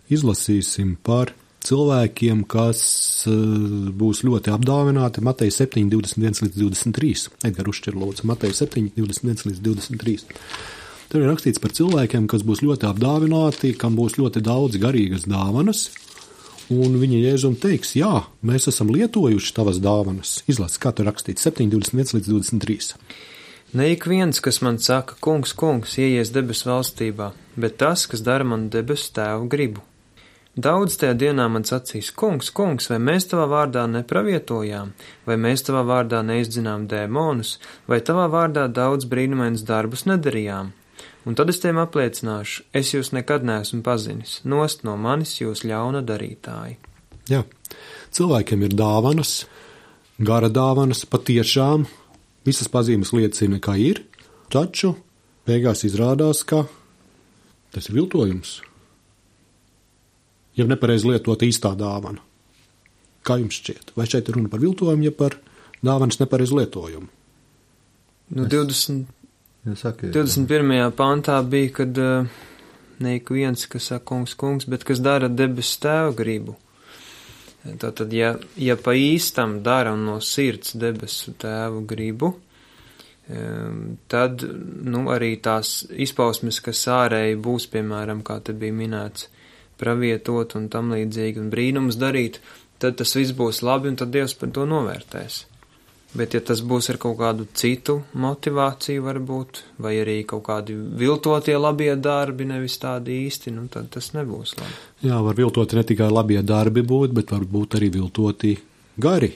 izlasīsim par cilvēkiem, kas uh, būs ļoti apdāvināti. Mateja septiņi, divdesmit viens līdz divdesmit trīs. Edgar uzšķir lūdzu. Mateja septiņi, divdesmit viens līdz divdesmit trīs. Tur ir rakstīts par cilvēkiem, kas būs ļoti apdāvināti, kam būs ļoti daudz garīgas dāvanas, un viņi Jēzum teiks, jā, mēs esam lietojuši tavas dāvanas. Izlasi, kā tur rakstīts, septiņi, divdesmit viens līdz divdesmit trīs. Ne ik viens, kas man saka, kungs, kungs, ieies debesu valstībā, bet tas, kas dara man debesu tēvu gribu. Daudz tajā dienā man sacīs, kungs, kungs, vai mēs tavā vārdā nepravietojām, vai mēs tavā vārdā neizdzinām dēmonus, vai tavā vārdā daudz brīnumainus darbus nedarījām. Un tad es tiem apliecināšu, es jūs nekad neesmu pazinis, nost no manis jūs ļauna darītāji. Jā, cilvēkiem ir dāvanas, gara dāvanas, patiešām visas pazīmes liecina, ka ir, taču beigās izrādās, ka tas ir viltojums. Ja nepareizi lietot īstā dāvana. Kā jums šķiet? Vai šeit ir runa par viltojumu, ja par dāvanas nepareizi lietojumu? Nu, divdesmit Ja saki, divdesmit pirmajā pantā bija, kad uh, ne ik viens, kas saka kungs, kungs, bet kas dara debesu tēva gribu. Tātad, ja, ja pa īstam dara no sirds debesu tēvu gribu, um, tad, nu, arī tās izpausmes, kas ārēji būs, piemēram, kā te bija minēts, pravietot un tam līdzīgi un brīnumus darīt, tad tas viss būs labi un tad Dievs par to novērtēs. Bet, ja tas būs ar kaut kādu citu motivāciju varbūt, vai arī kaut kādi viltotie labie darbi, nevis tādi īsti, nu tad tas nebūs labi. Jā, var viltoti ne tikai labie darbi būt, bet var būt arī viltoti gari.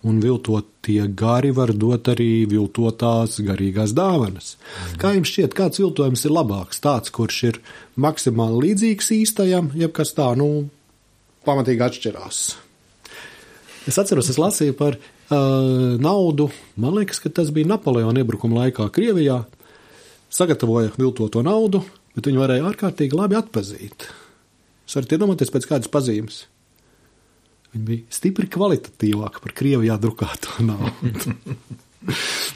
Un viltotie gari var dot arī viltotās garīgās dāvanas. Mm. Kā jums šķiet, kāds viltojums ir labāks? Tāds, kurš ir maksimāli līdzīgs īstajam, jeb kas tā, nu, pamatīgi atšķirās. Es atceros, es lasīju par uh, naudu, man liekas, ka tas bija Napoleona iebrukuma laikā Krievijā, sagatavoja viltoto naudu, bet viņi varēja ārkārtīgi labi atpazīt. Jūs varat iedomāties pēc kādas pazīmes. Viņi bija stipri kvalitatīvāki par Krievijā drukāto naudu.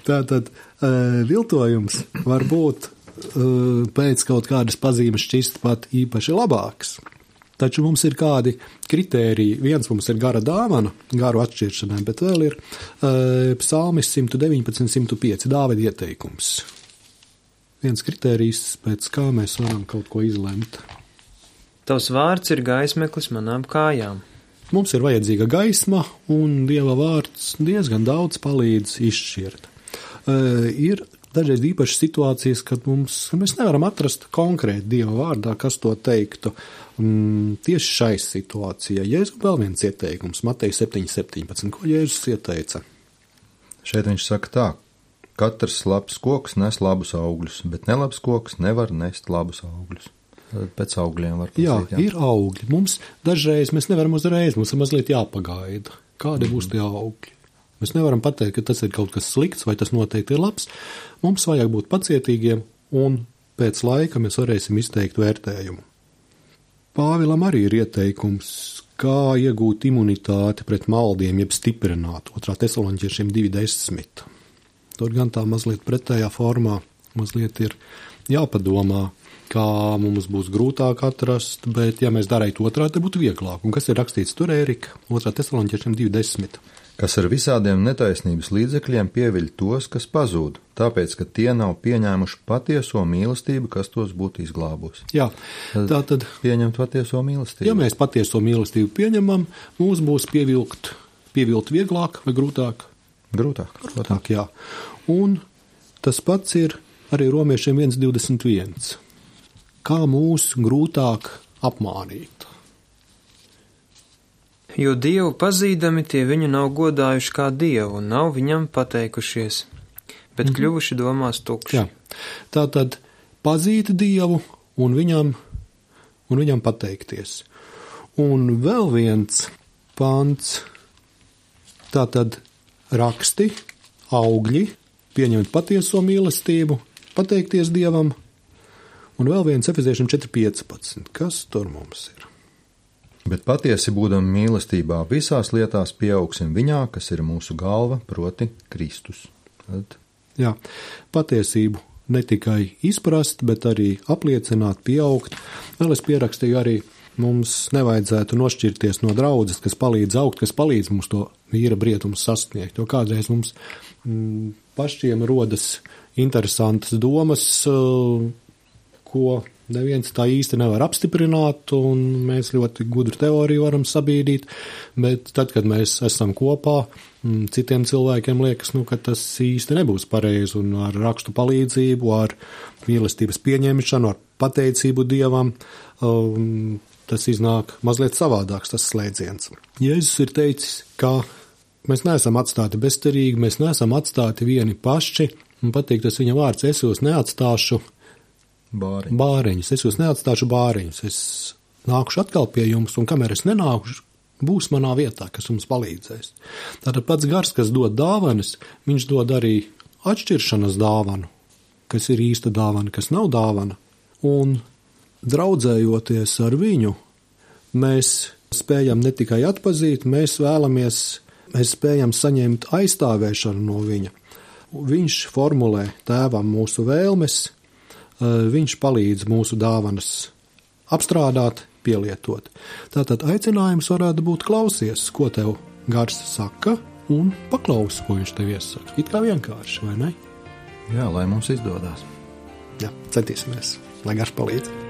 Tātad uh, viltojums var būt uh, pēc kaut kādas pazīmes šķist pat īpaši labāks. Taču mums ir kādi kritēriji. Viens mums ir gara dāvana, garu atšķiršanai, bet vēl ir uh, psalmis simt deviņpadsmit, simt pieci, Dāvida ieteikums. Viens kritērijs, pēc kā mēs varam kaut ko izlemt. Tavs vārds ir gaismeklis manām kājām. Mums ir vajadzīga gaisma, un Dieva vārds diezgan daudz palīdz izšķirt. Uh, ir dažreiz īpašas situācijas, kad mums, mēs nevaram atrast konkrēti Dieva vārdā, kas to teiktu. Um, tieši šai situācijai Jēzus vēl viens ieteikums, Mateja septiņi septiņpadsmit, ko Jēzus ieteica? Šeit viņš saka tā, katrs labs koks nes labus augļus, bet nelabs koks nevar nest labus augļus. Pēc augļiem var pasīt, jā, jā, ir augļi. Mums dažreiz mēs nevaram uzreiz, mums ir mazliet jāpagaida. Kādi mm-hmm. būs tie augļi? Mēs nevaram pateikt, ka tas ir kaut kas slikts vai tas noteikti ir labs. Mums vajag būt pacietīgiem un pēc laika mēs varēsim izteikt vērtējumu. Pāvilam arī ir ieteikums, kā iegūt imunitāti pret maldiem, jeb stiprināt. Otrā Tesaloniķiešiem divi desmit. Tur gan tā mazliet pretējā formā, mazliet ir jāpadomā, kā mums būs grūtāk atrast, bet ja mēs darītu otrādi, tad būtu vieglāk. Un kas ir rakstīts tur, Ērika? Otrā Tesaloniķiešiem divi desmit. Kas ar visādiem netaisnības līdzekļiem pieviļ tos, kas pazūd, tāpēc, ka tie nav pieņēmuši patieso mīlestību, kas tos būtu izglābusi. Jā, tā tad pieņemt patieso mīlestību. Ja mēs patieso mīlestību pieņemam, mums būs pievilkt, pievilkt vieglāk vai grūtāk? Grūtāk. Grūtāk, jā. Un tas pats ir arī Romiešiem viens divdesmit viens. Kā mūs grūtāk apmānīt? Jo Dievu pazīdami tie viņu nav godājuši kā Dievu un nav viņam pateikušies, bet mm-hmm. kļuvuši domās tukši. Jā. Tātad pazīt Dievu un viņam, un viņam pateikties. Un vēl viens pants, tātad raksti, augļi, pieņemt patieso mīlestību, pateikties Dievam, un vēl viens Efeziešiem četri piecpadsmit. Kas tur mums ir? Bet patiesi būdam mīlestībā visās lietās pieaugsim viņā, kas ir mūsu galva, proti Kristus. Tad... Jā, patiesību ne tikai izprast, bet arī apliecināt, pieaugt. Vēl es pierakstīju arī, mums nevajadzētu nošķirties no draudzes, kas palīdz augt, kas palīdz mums to vīra brietumu sasniegt. Jo kādreiz mums m, pašiem rodas interesantas domas, ko neviens tā īsti nevar apstiprināt, un mēs ļoti gudru teoriju varam sabīdīt, bet tad, kad mēs esam kopā, citiem cilvēkiem liekas, nu, ka tas īsti nebūs pareizi, un ar rakstu palīdzību, ar mīlestības pieņemšanu, ar pateicību Dievam, um, tas iznāk mazliet savādāks tas slēdziens. Jēzus ir teicis, ka mēs neesam atstāti bezcerīgi, mēs neesam atstāti vieni paši, un patīk tas viņa vārds, es jūs neatstāšu Bāriņus. bāriņus. Es jūs neatstāšu bāriņus. Es nākušu atkal pie jums, un kamēr es nenākušu, būs manā vietā, kas jums palīdzēs. Tātad pats gars, kas dod dāvanas, viņš dod arī atšķiršanas dāvanu, kas ir īsta dāvana, kas nav dāvana. Un draudzējoties ar viņu, mēs spējam ne tikai atpazīt, mēs vēlamies, mēs spējam saņemt aizstāvēšanu no viņa. Viņš formulē tēvam mūsu vēlmes, viņš palīdz mūsu dāvanas apstrādāt, pielietot. Tātad aicinājums varētu būt klausies, ko tev gars saka, un paklausi, ko viņš tev iesaka. It kā vienkārši, vai ne? Jā, lai mums izdodās. Jā, centīsimies, lai gars palīdz.